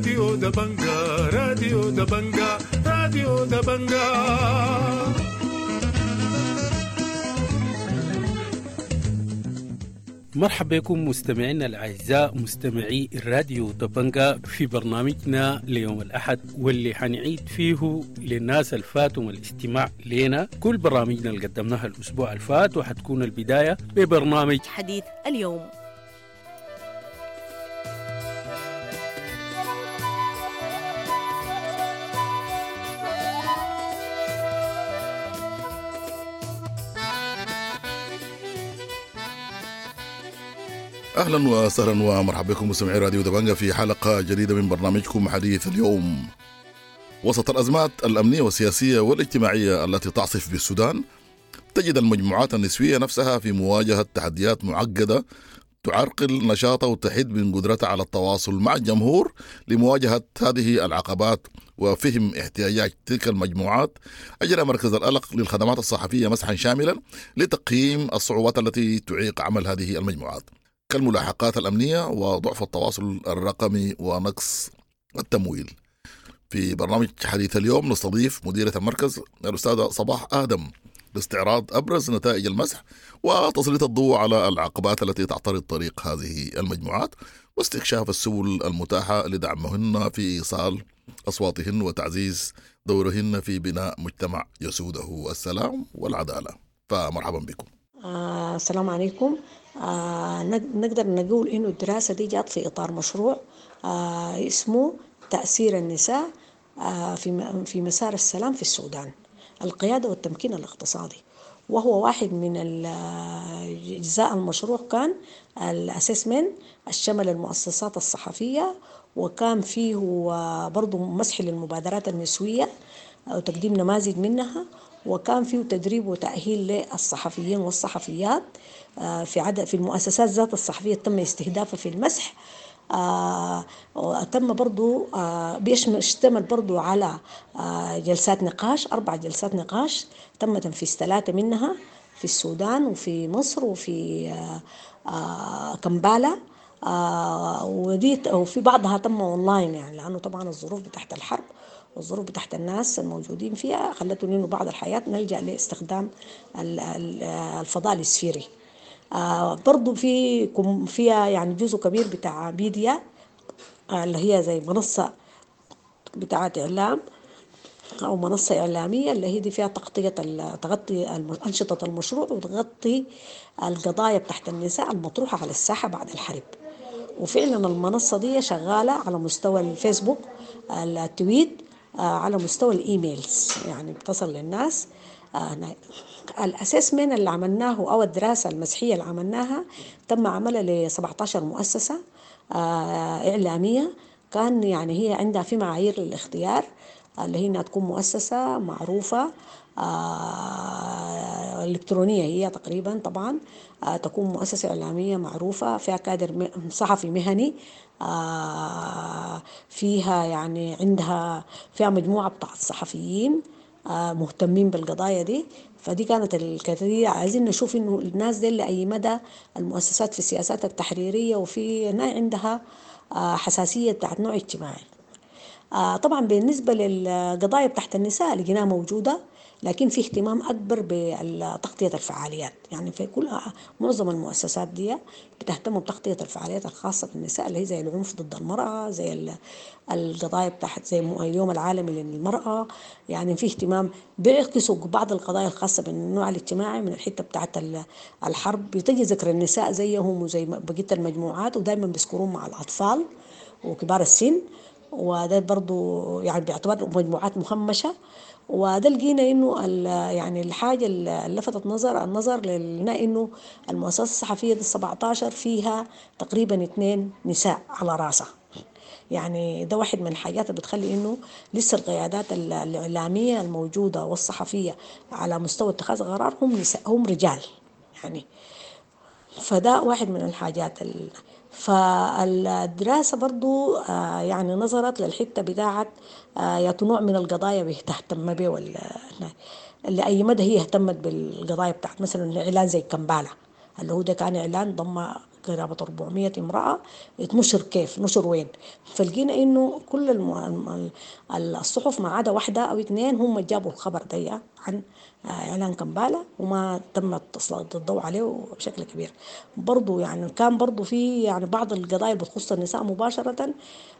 راديو دبنجا، راديو دبنجا، راديو دبنجا. مرحبا بكم مستمعينا الأعزاء مستمعي الراديو دبنجا في برنامجنا ليوم الأحد، واللي حنعيد فيه للناس الفاتهم الاستماع لنا كل برامجنا اللي قدمناها الأسبوع الفات، وحتكون البداية ببرنامج حديث اليوم. اهلا وسهلا ومرحبا بكم مستمعي راديو دبنجا في حلقة جديدة من برنامجكم حديث اليوم. وسط الازمات الامنية والسياسية والاجتماعية التي تعصف بالسودان، تجد المجموعات النسوية نفسها في مواجهة تحديات معقدة تعرقل نشاطها وتحد من قدرتها على التواصل مع الجمهور. لمواجهة هذه العقبات وفهم احتياجات تلك المجموعات، أجرى مركز الألق للخدمات الصحفية مسحا شاملا لتقييم الصعوبات التي تعيق عمل هذه المجموعات، كالملاحقات الأمنية وضعف التواصل الرقمي ونقص التمويل. في برنامج حديث اليوم نستضيف مديرة المركز الأستاذة صباح آدم لاستعراض أبرز نتائج المسح وتسليط الضوء على العقبات التي تعترض طريق هذه المجموعات، واستكشاف السبل المتاحة لدعمهن في إيصال أصواتهن وتعزيز دورهن في بناء مجتمع يسوده السلام والعدالة. فمرحبا بكم. السلام عليكم. نقدر نقول إنه الدراسة دي جات في إطار مشروع اسمه تأثير النساء في مسار السلام في السودان، القيادة والتمكين الاقتصادي، وهو واحد من أجزاء المشروع. كان ال assessment الشمل المؤسسات الصحفية، وكان فيه برضو مسح للمبادرات النسوية وتقديم نماذج منها، وكان فيه تدريب وتأهيل للصحفيين والصحفيات في عدد في المؤسسات ذات الصحفية تم استهدافها في المسح. تم برضو بيشتمل برضو على جلسات نقاش، 4 جلسات نقاش تم تنفيذ 3 منها في السودان وفي مصر وفي كمبالا، ودي وفي بعضها تم اونلاين، يعني لأنه طبعا الظروف بتاعت الحرب والظروف بتاعت الناس الموجودين فيها خلتهم إنه بعض الحياة نلجأ لاستخدام الفضاء الإسفيري. برضو في فيها يعني جزء كبير بتاع ميديا اللي هي زي منصة بتاعت إعلام أو منصة إعلامية، اللي هي دي فيها تغطية تغطي أنشطة المشروع وتغطي القضايا بتاعت النساء المطروحة على الساحة بعد الحرب. وفعلا المنصة دي شغالة على مستوى الفيسبوك، ال tweet، على مستوى ال emails، يعني بتصل للناس. ال assessment اللي عملناه او الدراسة المسحيه اللي عملناها تم عملها ل 17 مؤسسة اعلامية. كان يعني هي عندها في معايير للاختيار، اللي هي انها تكون مؤسسة معروفة الكترونية، هي تقريبا طبعا تكون مؤسسة اعلامية معروفة فيها كادر صحفي مهني، فيها يعني عندها فيها مجموعة بتاعت صحفيين مهتمين بالقضايا دي. فدي كانت الكثير. عايزين نشوف انه الناس دي لأي مدى المؤسسات في السياسات التحريرية وفي عندها حساسية بتاعت نوع اجتماعي. طبعا بالنسبة للقضايا بتاعت النساء لقيناها موجودة، لكن في اهتمام أكبر بتغطية الفعاليات. يعني في كل معظم المؤسسات دي بتهتم بتغطية الفعاليات الخاصة بالنساء، اللي هي زي العنف ضد المرأة، زي القضايا بتاعت زي اليوم العالمي للمرأة. يعني في اهتمام، بيعكسوا بعض القضايا الخاصة بالنوع الاجتماعي من الحتة بتاعت الحرب. بتجي ذكر النساء زيهم وزي بقية المجموعات، ودايما بيذكرون مع الأطفال وكبار السن، وده برضو يعني باعتبار مجموعات مهمشة. وده لقينا انه يعني الحاجة اللي لفتت النظر لنا انه المؤسسة الصحفية دي 17 فيها تقريبا 2 نساء على راسها. يعني ده واحد من الحاجات اللي بتخلي انه لسه القيادات الاعلامية الموجودة والصحفيه على مستوى اتخاذ قرار هم نساء، هم رجال يعني. فده واحد من الحاجات. فالدراسة برضو يعني نظرت للحتة بتاعت يا نوع من القضايا بتهتم به، لأي مدى هي اهتمت بالقضايا بتاعت مثلا إعلان زي كمبالة، اللي هو ده كان إعلان ضم قرابة 400 امرأة اتنشر كيف، نشر وين. فلقينا إنه كل الصحف ما عدا واحدة أو اثنين هم جابوا الخبر ده عن إعلان كمبالا وما تم تسليط الضوء عليه بشكل كبير. برضو يعني كان برضو في يعني بعض القضايا اللي بتخص النساء مباشرة،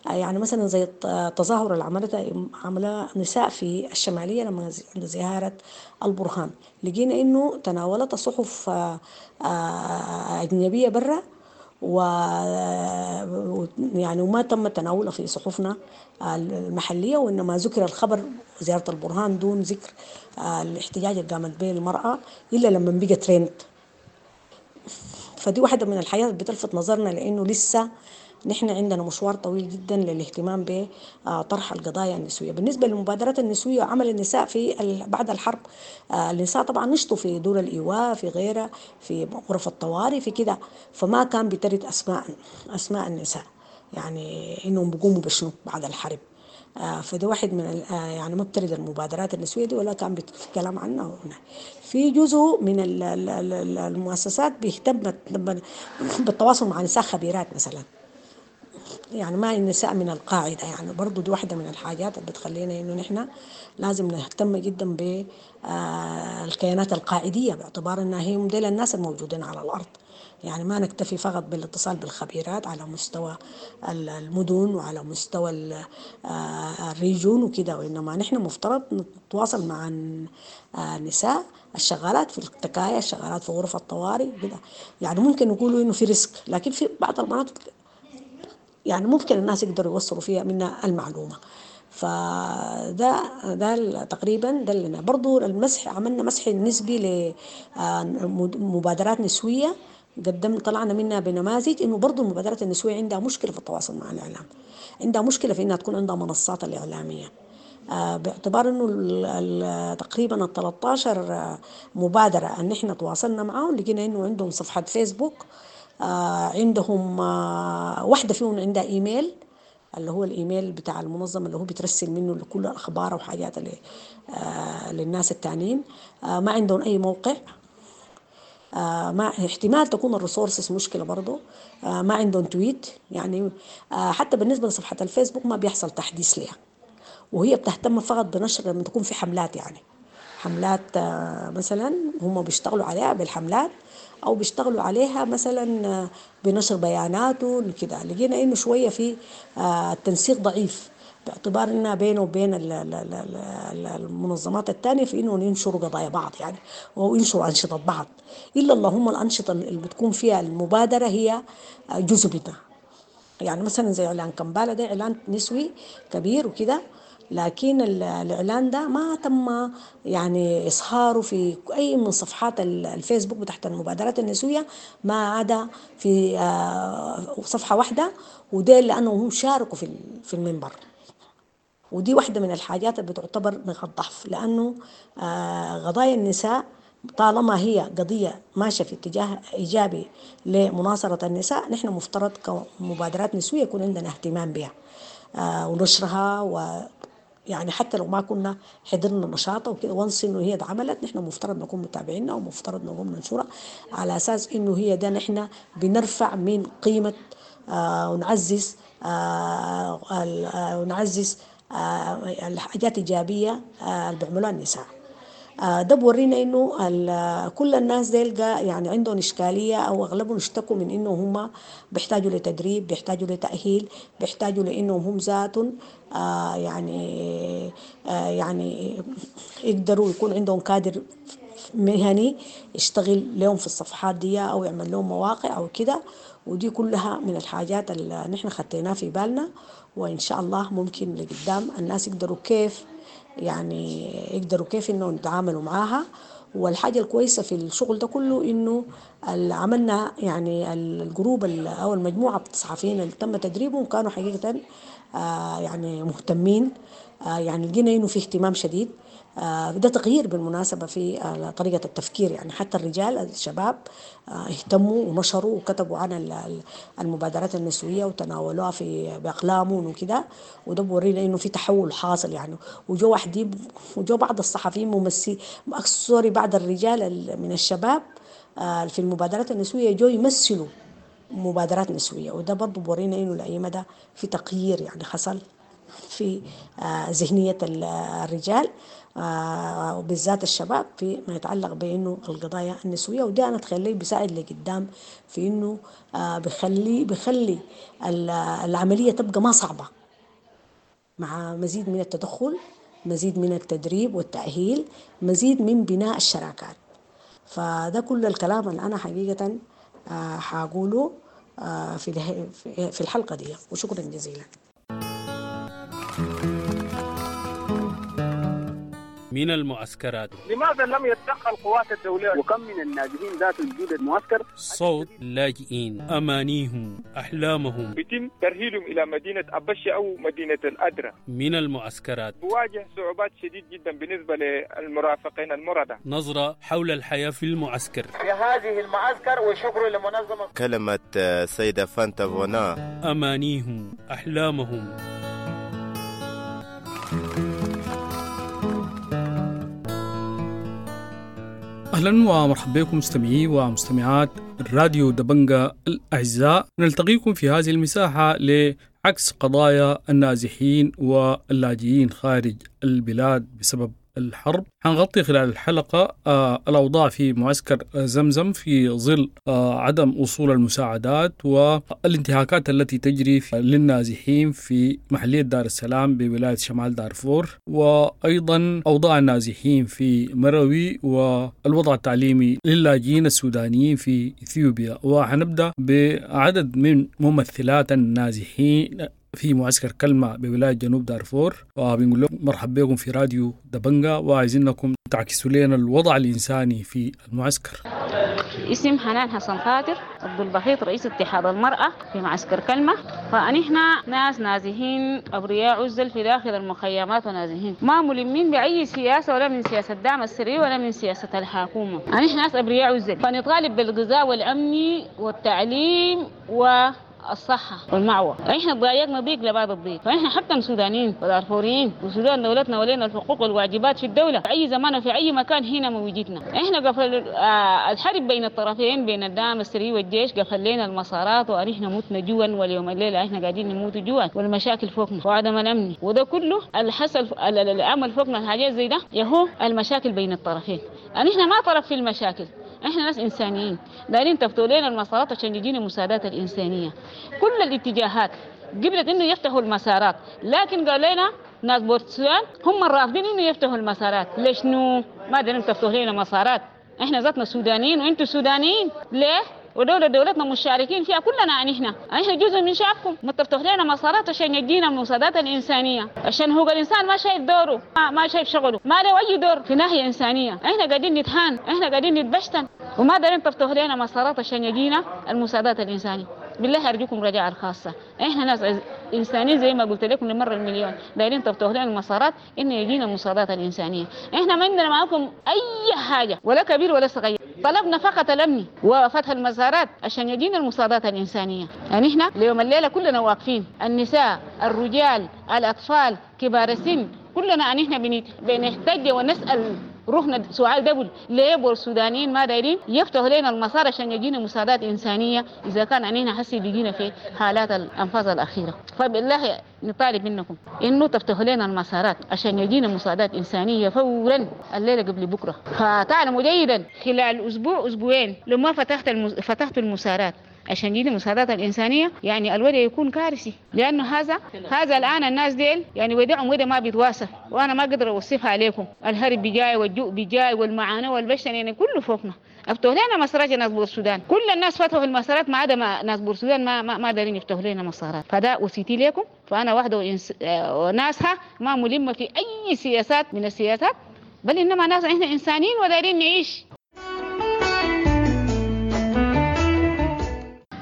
يعني مثلا زي التظاهر اللي عملتها عملها نساء في الشمالية لما عند زيارة البرهان، لقينا إنه تناولتها صحف أجنبية برا، و يعني وما تم تناولها في صحفنا المحلية، وإنما ذكر الخبر زيارة البرهان دون ذكر الاحتجاج اللي قامت به المرأة إلا لما بقى ترند. فدي واحدة من الحاجات اللي بتلفت نظرنا، لأنه لسه نحن عندنا مشوار طويل جدا للاهتمام بطرح القضايا النسوية. بالنسبة للمبادرات النسوية وعمل النساء في بعد الحرب، النساء طبعا نشطوا في دور الإيواء، في غيرها، في غرف الطوارئ، في كده، فما كان بترد أسماء النساء، يعني إنهم بيقوموا بشنو بعد الحرب. فده واحد من يعني ما بترد المبادرات النسوية دي ولا كان بيتكلم عنها هنا. في جزء من المؤسسات بيهتم بالتواصل مع نساء خبيرات مثلا، يعني ما النساء من القاعدة، يعني برضو دي واحدة من الحاجات اللي بتخلينا إنه نحن لازم نهتم جدا بالكيانات القاعدية، باعتبار إنها هي موديل الناس الموجودين على الأرض، يعني ما نكتفي فقط بالاتصال بالخبيرات على مستوى المدن وعلى مستوى الريجون وكده، وإنما نحن مفترض نتواصل مع النساء الشغالات في التكايا، الشغالات في غرف الطوارئ كده. يعني ممكن نقولوا إنه في ريسك، لكن في بعض المناطق يعني ممكن الناس يقدروا يوصلوا فيها منها المعلومة. فده ده تقريبا ده اللي برضو المسح، عملنا مسح نسبي لمبادرات نسوية، طلعنا منها بنماذج انه برضو المبادرات النسوية عندها مشكلة في التواصل مع الإعلام، عندها مشكلة في انها تكون عندها منصات الإعلامية، باعتبار انه تقريبا 13 مبادرة ان احنا تواصلنا معاهم لقينا انه عندهم صفحة فيسبوك، عندهم واحدة فيهم عندها ايميل اللي هو الايميل بتاع المنظمة اللي هو بترسل منه لكل الاخبار وحاجات اللي للناس التانيين، ما عندهم اي موقع، ما احتمال تكون ال resources مشكلة برضو، ما عندهم tweet، يعني حتى بالنسبة لصفحة الفيسبوك ما بيحصل تحديث لها، وهي بتهتم فقط بنشر لما تكون في حملات، يعني حملات مثلا هم بيشتغلوا عليها بالحملات او بيشتغلوا عليها مثلا بنشر بياناته كده. لقينا انه شوية في التنسيق ضعيف، باعتبار انها بينه وبين المنظمات الثانية في انه ينشروا قضايا بعض، يعني وينشروا انشطة بعض، الا اللهم الانشطة اللي بتكون فيها المبادرة هي جزء منها، يعني مثلا زي اعلان كمبالا ده اعلان نسوي كبير وكده، لكن الإعلان ده ما تم يعني إظهاره في أي من صفحات الفيسبوك بتاعت المبادرات النسوية، ما عدا في صفحة واحدة، وده لأنهم هم شاركوا في المنبر. ودي واحدة من الحاجات اللي بتعتبر نقاط ضعف، لأنه قضايا النساء طالما هي قضية ماشية في اتجاه إيجابي لمناصرة النساء، نحن مفترض كمبادرات نسوية يكون عندنا اهتمام بها ونشرها، و يعني حتى لو ما كنا حضرنا نشاطها وكده وانس انه هي اتعملت، نحن مفترض نكون متابعينها ومفترض نقوم ننشرها على اساس انه هي ده نحن بنرفع من قيمة ونعزز ونعزز الحاجات الايجابية اللي بيعملوها النساء. ده بورينا انه كل الناس ديل يعني عندهم اشكالية، او اغلبهم اشتكوا من انه هم بيحتاجوا لتدريب، بيحتاجوا لتاهيل، بيحتاجوا لانهم هم ذاتهم يعني يقدروا يكون عندهم كادر مهني يشتغل لهم في الصفحات دي او يعمل لهم مواقع او كده. ودي كلها من الحاجات اللي نحن خديناها في بالنا، وان شاء الله ممكن لقدام الناس يقدروا كيف يعني يقدروا كيف انه يتعاملوا معاها. والحاجة الكويسة في الشغل ده كله انه عملنا يعني ال group او المجموعة الصحفيين اللي تم تدريبهم كانوا حقيقة يعني مهتمين، يعني لقينا انه في اهتمام شديد. ده تغيير بالمناسبة في طريقة التفكير، يعني حتى الرجال الشباب اهتموا ونشروا وكتبوا عن المبادرات النسوية وتناولوها في بأقلامهم وكده، وده بورينا انه في تحول حاصل يعني. وجو واحدين وجو بعض الصحفيين ممثلين sorry بعض الرجال من الشباب في المبادرات النسوية جو يمثلوا مبادرات نسوية. وده برضو بورينا إنه لأي مدى في تغيير يعني حصل في ذهنية الرجال وبالذات الشباب في ما يتعلق بأنه القضايا النسوية. وده أنا أتخيل لي بيساعد لقدام في إنه بخلي العملية تبقى ما صعبة، مع مزيد من التدخل، مزيد من التدريب والتأهيل، مزيد من بناء الشراكات. فده كل الكلام اللي أنا حقيقة حقوله في الحلقة دي، وشكرا جزيلا. من المعسكرات، لماذا لم يتدخل قوات الدولة؟ وكم من النازحين ذات وجود المعسكر؟ صوت اللاجئين، أمانيهم، أحلامهم، بيتم ترحيلهم إلى مدينة أبشة أو مدينة الأدرة. من المعسكرات بواجه صعوبات شديد جدا بالنسبة للمرافقين المرضى. نظرة حول الحياة في المعسكر، في هذه المعسكر، وشكر لمنظمة. كلمة سيدة فانتا فونا، أمانيهم، أحلامهم. أهلا ومرحبا بكم مستمعي ومستمعات الراديو دبنجا الأعزاء. نلتقيكم في هذه المساحة لعكس قضايا النازحين واللاجئين خارج البلاد بسبب الحرب. حنغطي خلال الحلقة الأوضاع في معسكر زمزم في ظل عدم وصول المساعدات والانتهاكات التي تجري للنازحين في محلية دار السلام بولاية شمال دارفور، وأيضا أوضاع النازحين في مروي والوضع التعليمي للاجئين السودانيين في إثيوبيا. وحنبدأ بعدد من ممثلات النازحين في معسكر كلمة بولاية جنوب دارفور، وبنقول لكم مرحبا بكم في راديو دبنجا، وعايزينكم تعكسوا لنا الوضع الإنساني في المعسكر. اسم حنان حسن خاطر عبد البخيط، رئيس اتحاد المرأة في معسكر كلمة. فنحن ناس نازحين أبرياء عزل في داخل المخيمات ونازحين، ما ملمين بأي سياسة، ولا من سياسة الدعم السري ولا من سياسة الحكومة. نحن ناس أبرياء عزل، فنطالب بالغذاء والأمن والتعليم و الصحة والمعوى. احنا ضايقنا ضيق لبعض الضيق، فاحنا حتى سودانيين ودارفوريين، وسودان دولتنا ولينا الحقوق والواجبات في الدولة في أي زمان وفي أي مكان هنا موجودنا. احنا قفل الحرب بين الطرفين، بين الدعم السري والجيش، قفل لنا المسارات، ونحن متنا جوا، واليوم الليلة احنا قاعدين نموت جوا، والمشاكل فوقنا وعدم الأمن، وده كله الحصل العمل فوقنا الحاجات زي ده يهو المشاكل بين الطرفين. نحن ما طرف في المشاكل، احنا ناس انسانيين دايرين تفتوا لنا المسارات عشان يجينا المساعدات الانسانيه. كل الاتجاهات قبلت انه يفتحوا المسارات، لكن قال لنا ناس بورتسودان هم الرافضين انه يفتحوا المسارات. ليش نو ما دارين تفتحوا لنا مسارات؟ احنا ذاتنا سودانيين وانتم سودانيين، ليه؟ ودولة دولتنا مشاركين فيها كلنا، نحن جزء من شعبكم، ما تفتح لنا مسارات عشان يجينا المساعدات الإنسانية، عشان هو الإنسان ما شايف دوره، ما شايف شغله، ما له أي دور في ناحية إنسانية. احنا قاعدين نتهان، احنا قاعدين نتبشتن، وما دارين تفتح لنا مسارات عشان يجينا المساعدات الإنسانية. بالله أرجوكم رجاء الخاصة، احنا ناس إنسانيين زي ما قلت لكم لمرة المليون، دايرين تفتح لنا المسارات إنه يجينا المساعدات الإنسانية. احنا ما عندنا معاكم أي حاجة، ولا كبير ولا صغير، طلبنا فقط الأمن وفتح المسارات عشان يجينا المساعدات الإنسانية. يعني احنا ليوم الليلة كلنا واقفين، النساء، الرجال، الأطفال، كبار السن، كلنا يعني احنا بنحتج ونسأل روحنا سؤال دبل، ليه السودانيين ما دايرين يفتحوا لنا المسار عشان يجينا مساعدات إنسانية إذا كان علينا حسي بيجينا في حالات الأنفاس الأخيرة؟ فبالله نطالب منكم إنه تفتحوا لنا المسارات عشان يجينا مساعدات إنسانية فورا الليلة قبل بكرة. فتعلموا جيدا خلال أسبوع أسبوعين لو ما فتحت المسارات عشان يجينا المساعدات الإنسانية، يعني الوضع يكون كارثي، لأنه هذا الآن الناس ديل يعني ودعهم وده ما بيتواصل، وأنا ما أقدر أوصفها عليكم. الهرب بجاي والجوع بجاي والمعاناة والبشر يعني كله فوقنا. افتحوا لنا مسارات ناس بور السودان، كل الناس فتحوا المسارات ما عدا ناس بور السودان ما دارين يفتحوا لنا مسارات. فده وصيتي لكم، فأنا واحدة وناسها ما ملمة في أي سياسات من السياسات، بل إنما ناس إحنا إنسانيين ودارين نعيش.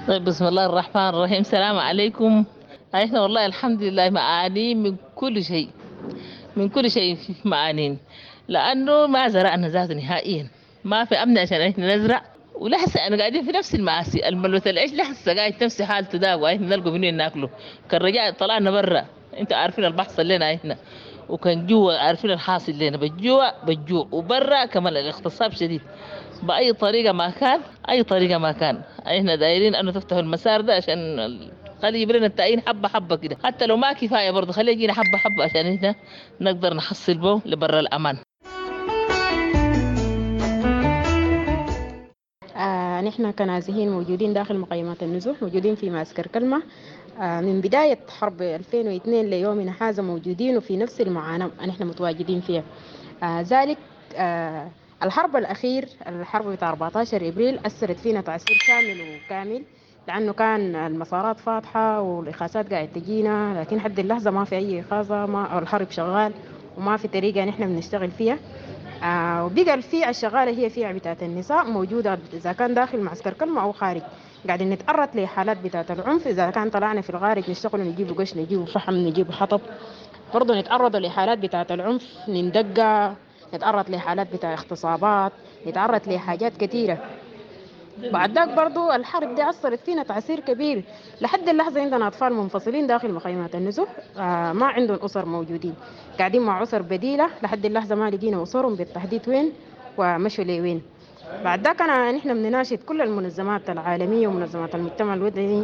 طيب، بسم الله الرحمن الرحيم. السلام عليكم. احنا والله الحمد لله معانين من كل شيء، من كل شيء معانين، لانه ما زرعنا ذاته نهائيا، ما في امن عشان احنا نزرع، ولحسه انا قاعدين في نفس المعاصي، الملوث العيش لحسه قاعد نفس حالته ده، واحنا نلقوا منين ناكله. كان رجع طلعنا برا، انتوا عارفين البحصل لنا احنا، وكان جوا عارفين الحاصل لنا بالجوع بالجوع، وبرا كمان الاغتصاب شديد بأي طريقة ما كان، أي طريقة ما كان. احنا دايرين أنه تفتحوا المسار ده عشان خلي يجيب لنا التعيين حبة حبة كده، حتى لو ما كفاية برضه خليه يجينا حبة حبة عشان احنا نقدر نحصل به لبر الأمان. نحن كنازحين موجودين داخل مخيمات النزوح، موجودين في معسكر كلمة من بداية حرب 2002 ليومنا هذا موجودين وفي نفس المعاناة نحن متواجدين فيها. ذلك الحرب الأخير، الحرب بتاع 14 إبريل، أثرت فينا تأثير شامل وكامل، لأنه كان المسارات فاتحة والإخاثات قاعدة تجينا، لكن حد اللحظة ما في أي إخاثة، ما الحرب شغال وما في طريقة نحن بنشتغل فيها. وبقى الفئة الشغالة هي فئة بتاعت النساء موجودة إذا كان داخل معسكر كلمة أو خارج، قاعدين نتعرض لحالات بتاعت العنف. إذا كان طلعنا في الخارج نشتغل نجيب قش، نجيب فحم، نجيب حطب، برضه نتعرض لحالات بتاعت العنف، نندقى، نتعرض لحالات بتاع اغتصابات، نتعرض لحاجات كثيرة. بعد ذاك برضو الحرب دي أثرت فينا تأثير كبير. لحد اللحظة عندنا أطفال منفصلين داخل مخيمات النزوح، ما عندهم أسر موجودين، قاعدين مع أسر بديلة. لحد اللحظة ما لقينا أسرهم بالتحديد وين ومشوا لوين. بعد ذاك نحن بنناشد كل المنظمات العالمية ومنظمات المجتمع المدني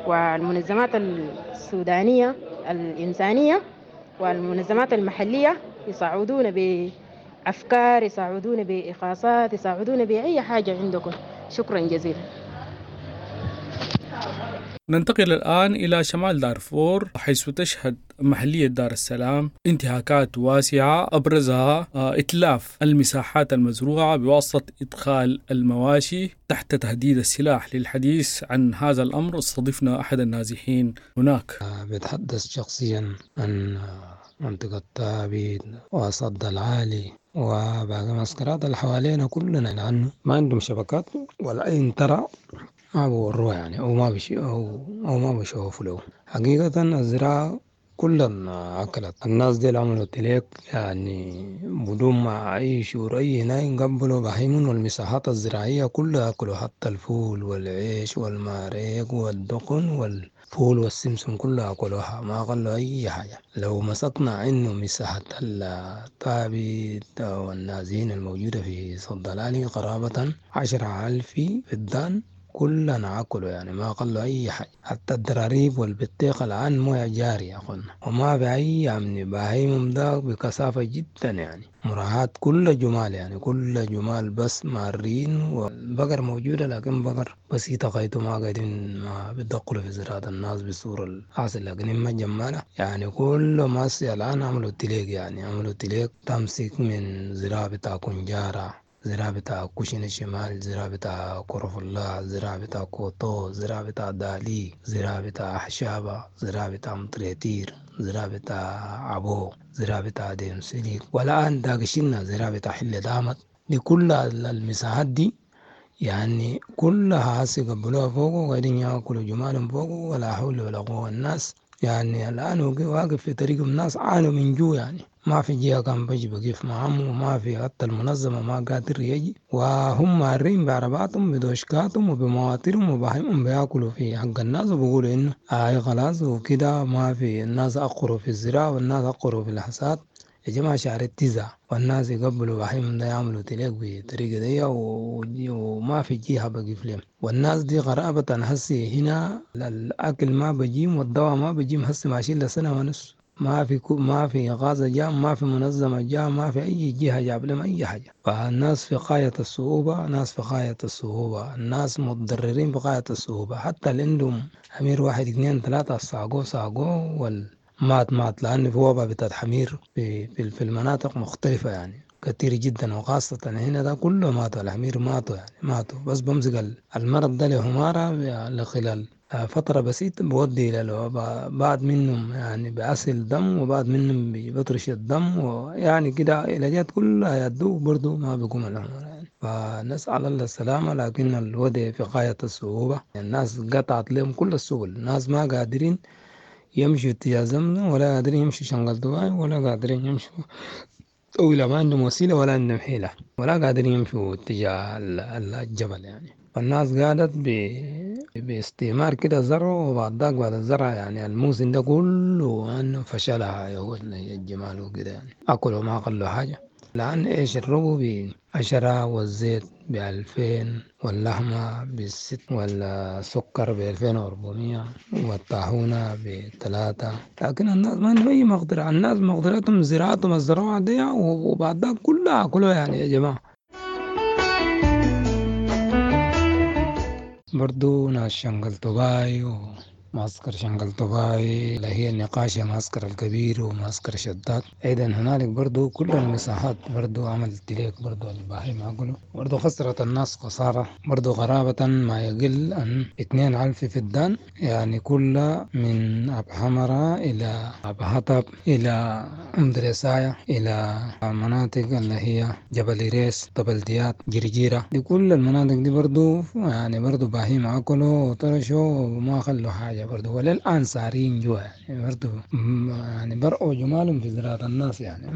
والمنظمات السودانية الإنسانية والمنظمات المحلية يساعدونا بأفكار، يساعدونا بإخاصات، يساعدونا بأي حاجة عندكم. شكرا جزيلا. ننتقل الآن إلى شمال دارفور، حيث تشهد محلية دار السلام انتهاكات واسعة أبرزها إتلاف المساحات المزروعة بواسطة إدخال المواشي تحت تهديد السلاح. للحديث عن هذا الأمر استضفنا أحد النازحين هناك. بتحدث شخصيا عن منطقة تابيت وصد العالي وباقي معسكرات اللي حوالينا كلنا، لأنه ما عندهم شبكات والعين ترى ما بوروها يعني، أو ما بشي أو ما بشوفوا له. حقيقة الزراعة كلها أكلت الناس دي، عملوا تليك يعني بدون ما أي شعور أي هنا يقبلوا بهيمون، والمساحات الزراعية كلها أكلوا، حتى الفول والعيش والماريق والدقن والفول والسمسم كلها أكلوها، ما قالوا أي حاجة. لو مسكنا إنه مساحة التابت والنازين الموجودة في صد العالي قرابة 10,000 فدان كلنا أكلوا يعني، ما قالوا أي حاجة. حتى الدراريب والبطيخ الآن موية جارية يا أخوانا، وما في أي أمن. بهايمهم ده بكثافة جدا يعني، مراعاة كل جمال يعني، كل جمال بس مارين، والبقر موجودة لكن بقر بسيطة غايته ما قاعدين ما بيدخلوا في زراعة الناس بالصورة الحاصل. لكن ما جمالة يعني كل ما الآن عملوا تليق يعني، عملوا تليق تمسك من زراعة بتاع كنجارة، زراعة بتاع كوشين الشمال، زراعة بتاع كرف الله، زراعة بتاع كوتو، زراعة بتاع دالي، زراعة بتاع حشابة، زراعة بتاع مطريتير، زراعة بتاع عبو، زراعة بتاع ديم سليك، والآن داقشنا زراعة بتاع حلة دامت. دي كل المساحات دي يعني كلها هسي قبلوها فوق وقاعدين ياكلوا جمالهم فوق، ولا حول ولا قوة. الناس يعني الآن واقف في طريق الناس عانوا من جوع يعني، ما في جهة كان بيجي بقف معهم، وما في حتى المنظمة ما قادر يجي، وهم مارين بعرباتهم بدوشكاتهم وبمواطرهم وبهيمهم بياكلوا في حق الناس وبيقولوا إنه آي خلاص وكده. ما في الناس أقروا في الزراعة والناس أقروا في الحصاد يا جماعة شهر 9، والناس يقبلوا بهيمهم ده يعملوا تليق بطريقة دي، وما في جهة بقف لهم. والناس دي غرابة هسي هنا الأكل ما بجيم والدواء ما بجيم، هسي ماشيين لسنة ونص ما في غازة جاء، ما في منظمة جاء، ما في أي جهة جاب لهم أي حاجة. فالناس في غاية الصعوبة، ناس في غاية الصعوبة، الناس متضررين بغاية الصعوبة. حتى اللي عندهم حمير 1 2 3 ساقوه والمات مات، لأن في وباء بتاعت حمير في المناطق مختلفة يعني كثير جدا، وخاصة هنا ده كله ماتوا الحمير، ماتوا يعني ماتوا. بس بمسك المرض ده لحمارة لخلال فترة بسيطة بودي إلى الوباء، بعض منهم يعني بأسل دم وبعض منهم بيطرش الدم، ويعني كده علاجات كلها يدوه برضو ما بيقوم الأمر يعني. فنسأل الله السلامة، لكن الوضع في غاية الصعوبة. الناس قطعت لهم كل السبل، الناس ما قادرين يمشوا اتجاه زمزم، ولا قادرين يمشوا شنغل دبي، ولا قادرين يمشوا طويلة، ما عندهم وسيلة ولا عندهم حيلة، ولا قادرين يمشوا اتجاه الجبل يعني. فالناس قالت باستثمار كده زرع، وبعد ذاك بعد الزرع يعني الموسم ده كله انه فشلها الجمال وكده يعني اكلوا ما خلوا حاجة. لأن إيش الربو ب10 والزيت ب2000 واللحمة ب6 والسكر ب2400 والطاحونة ب3. لكن الناس ما عندهم أي مقدرة، الناس مقدرتهم زراعتهم الزراعة دي وبعد ذاك كلها أكلوها يعني يا جماعة. برضو ناس شنقل طباي ومعسكر شنقل طباي اللي هي النقاش معسكر الكبير ومعسكر شداد، أيضا هنالك برضو كل المساحات برضو عملت ليك برضو البهايم أكلوا، برضو خسرت الناس خسارة برضو قرابة ما يقل عن 2000 فدان، يعني كل من أب حمرة إلى أب حطب إلى أم دريساية إلى مناطق اللي هي جبل ريس، طبلديات، جرجيرة، دي كل المناطق دي برضو يعني برضو بهيم أكلوا وطرشوا وما خلوا حاجة برضو، وللآن سارين جوا يعني برضو يعني برقوا جمالهم في زراعة الناس يعني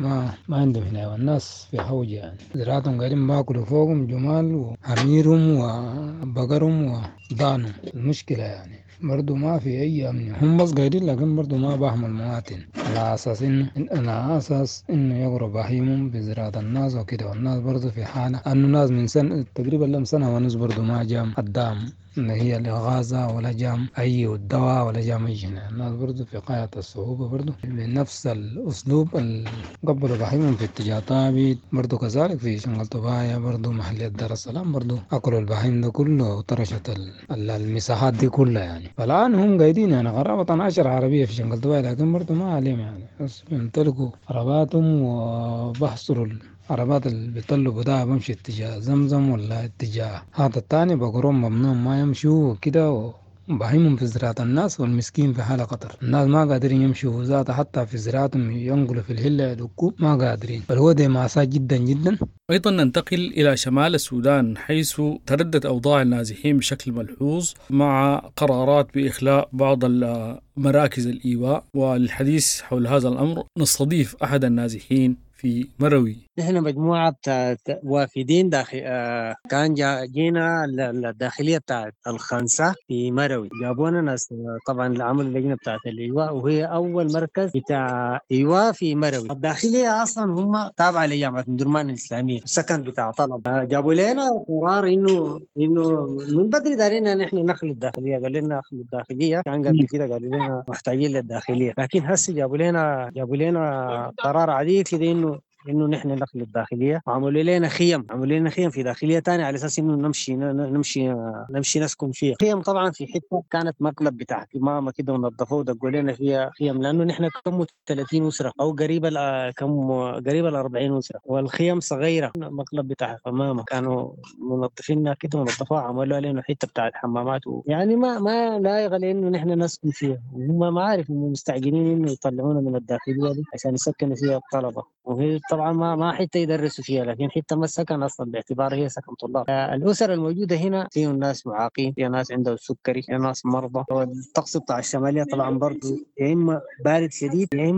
ما عندهم هنا، والناس في حوجة يعني زراعتهم قاعدين باكلوا فوقهم جمال وحميرهم وبقرهم وضانهم. المشكلة يعني برضو ما في أي أمن، هم بس قاعدين لكن برضو ما بهم المواطن على أساس إنه على أساس إنه يقروا بهيمهم بزراعة الناس وكده، والناس برضو في حالة أنه الناس من سنة تقريبا لهم سنة ونص برضو ما جام الدعم اللي هي الإغاثة ولا جام أي الدواء ولا جام أي شيء. الناس برضو في غاية الصعوبة برضو بنفس الأسلوب اللي قبلوا بهيمهم في اتجاه طابت، برضو كذلك في شنقل طبايا برضو محلية دار السلام برضو أكلوا البهيم ده كله وطرشت المساحات دي كلها يعني. فالآن هم قاعدين يعني قرابة 10 عربية في شنقل طبايا، لكن برضو ما عليهم يعني، بس بيمتلكوا عرباتهم وبحصروا عربات اللي بيطلبوا ده بمشي اتجاه زمزم ولا اتجاه هذا الثاني، بقرهم ممنوع ما يمشوا وكده، وبهيمهم في زراعة الناس والمسكين في حالة خطر. الناس ما قادرين يمشوا ذاته حتى في زراعتهم ينقلوا في الهلة يدقوا ما قادرين، فالوضع مأساة جدا جدا. أيضا ننتقل إلى شمال السودان حيث تردت أوضاع النازحين بشكل ملحوظ مع قرارات بإخلاء بعض مراكز الإيواء، والحديث حول هذا الأمر نستضيف أحد النازحين في مروي. نحن مجموعة بتاعت وافدين داخل كان جينا الداخلية بتاعت الخنسة في مروي، جابونا ناس طبعا عملوا اللجنة بتاعت الإيواء، وهي أول مركز بتاع إيواء في مروي. الداخلية أصلا هم تابعة لجامعة درمان الإسلامية، السكن بتاع طلب. جابوا لنا قرار إنه من بدري دارينا نحن نخلي الداخلية، قال لنا نخلي الداخلية، كان قبل كده قالوا لنا محتاجين للداخلية، لكن هسه جابوا لنا قرار عديد كده إنه نحن نخلي الداخلية، وعملوا لنا خيم، عملوا لنا خيم في داخلية تانية على أساس إنه نمشي نمشي نمشي نسكن فيها. خيم طبعا في حتة كانت مقلب بتاع ماما كده ونظفوه ودقوا لنا فيها خيم، لأنه نحن كم 30 أسرة أو قريبة كم قريبة 40 أسرة، والخيم صغيرة، مقلب بتاع ماما كانوا منظفينها كده ونظفوها، عملوا لنا حتة بتاعت حمامات يعني ما لايقة لإنه نحن نسكن فيها، وهم ما عارف إنه مستعجلين إنه يطلعونا من الداخلية دي عشان يسكنوا فيها الطلبة، وهي طبعا ما حتى يدرسوا فيها، لكن حتى ما السكن اصلا باعتبار هي سكن طلاب. الاسر الموجوده هنا فيه ناس معاقين، فيه ناس عندهم سكري، فيه ناس مرضى. والطقس بتاع الشماليه طبعا برضه يا اما بارد شديد يا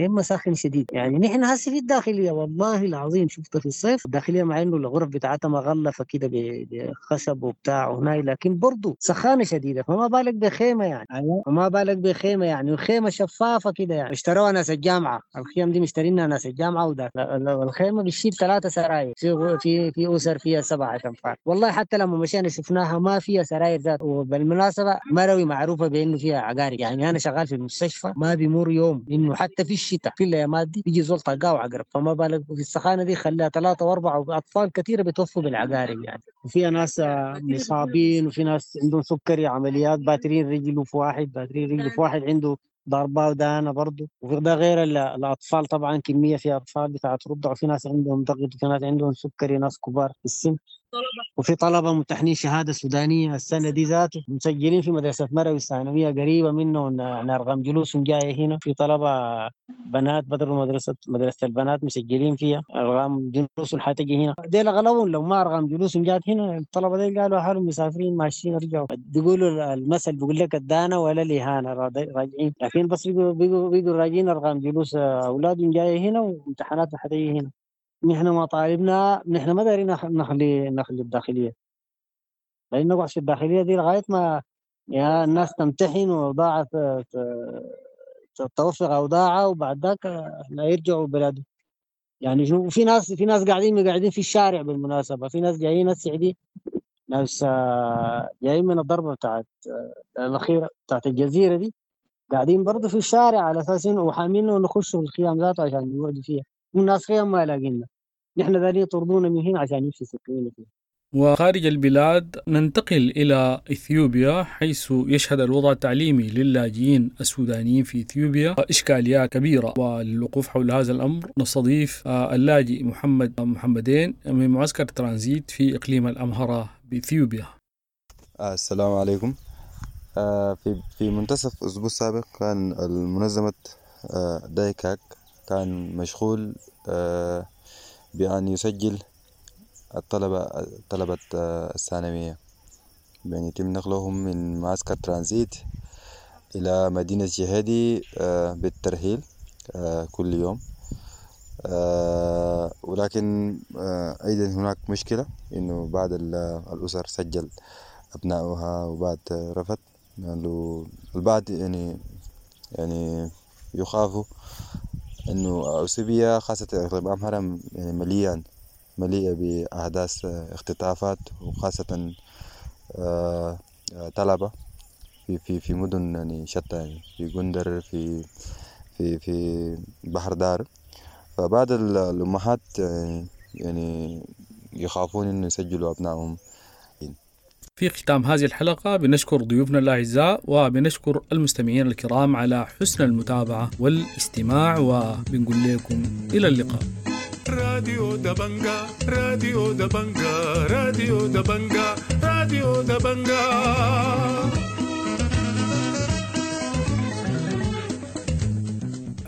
اما ساخن شديد. يعني نحن هسه في الداخليه والله العظيم شفت في الصيف الداخليه مع انه الغرف بتاعتها مغلفه كده بخشب وبتاع وهناي، لكن برضه سخانه شديده، فما بالك بخيمه يعني، فما بالك بخيمه يعني، وخيمه شفافه كده يعني اشتروها ناس الجامعه، الخيم دي مشترينها ناس الجامعه، وده الخيمه بتشيل 3 سراير، في في اسر فيها 7 انفار. والله حتى لما مشينا شفناها ما فيها سراير ذات. وبالمناسبه مروي معروفه بانه فيها عقارب، يعني انا شغال في المستشفى ما بيمر يوم انه حتى في الشتاء في الايامات دي بيجي زول طقاه وعقرب، فما بالك في السخانه دي خلاها 3 و4 واطفال كثيره بيتوفوا بالعقارب يعني. وفيها ناس مصابين، وفي ناس عندهم سكري، عمليات باترين رجله في واحد، باترين رجله في واحد عنده ضربة ودانة برضه، وده غير الأطفال طبعا كمية في أطفال بتاعت رضع، وفي ناس عندهم ضغط، وفي ناس عندهم سكري، ناس كبار في السن، وفي طلبة ممتحنين شهادة سودانية السنة دي ذاته مسجلين في مدرسة مروي الثانوية قريبة منه، يعني أرقام جلوسهم جاية هنا. في طلبة بنات بدلوا مدرسة البنات مسجلين فيها أرقام جلوسهم حتجي هنا، ديل أغلبهم لو ما أرقام جلوسهم جات هنا الطلبة ديل قالوا حالهم مسافرين ماشيين رجعوا. بيقولوا المثل بيقول لك الدانة ولا الإهانة، راجعين، لكن بس بيقوا راجعين أرقام جلوس أولادهم جاية هنا وامتحاناتهم حتجي هنا. نحن ما طالبنا، نحن ما دارين نخلي الداخلية. لأن نقعد في الداخلية دي لغاية ما يا الناس تمتحن وأوضاعها توفق أوضاعها، وبعد ذاك احنا يرجعوا بلادهم. يعني شو في ناس، في ناس قاعدين في الشارع بالمناسبة، في ناس جايين هسه دي، ناس جايين من الضربة بتاعت الأخيرة بتاعت الجزيرة دي، قاعدين برضه في الشارع على أساس إنه وحامين إنه نخشوا الخيام ذاته عشان يقعدوا فيها، والناس خيام ما لاقينا، نحن ذا يطردونا من هنا عشان يمشي يسكنونا فيها. وخارج البلاد ننتقل إلى إثيوبيا، حيث يشهد الوضع التعليمي للاجئين السودانيين في إثيوبيا إشكاليات كبيرة. وللوقوف حول هذا الأمر نستضيف اللاجئ محمد محمدين من معسكر ترانزيت في إقليم الأمهرة بإثيوبيا. السلام عليكم. في منتصف الأسبوع السابق كان المنظمة دايكاك كان مشغول بأن يسجل طلبة الثانوية، بأن يتم نقلهم من معسكر ترانزيت إلى مدينة شهادي بالترحيل كل يوم. ولكن أيضا هناك مشكلة إنه بعض الأسر سجل أبنائها وبعض رفض، لأنه البعض يعني يخافوا إنه أثيوبيا خاصة إقليم أمهرة يعني مليئة بأحداث اختطافات، وخاصة طلبة في في مدن يعني شتى، يعني في غندر، في في في بحر دار. فبعض الأمهات يعني يخافون إنه يسجلوا أبنائهم. في ختام هذه الحلقة بنشكر ضيوفنا الأعزاء وبنشكر المستمعين الكرام على حسن المتابعة والاستماع، وبنقول لكم إلى اللقاء. راديو دبنجا، راديو دبنجا، راديو دبنجا، راديو دبنجا.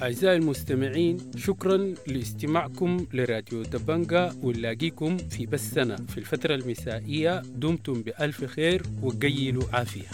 أعزائي المستمعين، شكرا لاستماعكم لراديو دبنجا، ونلاقيكم في بثنا في الفترة المسائية. دمتم بألف خير وقيلوا عافية.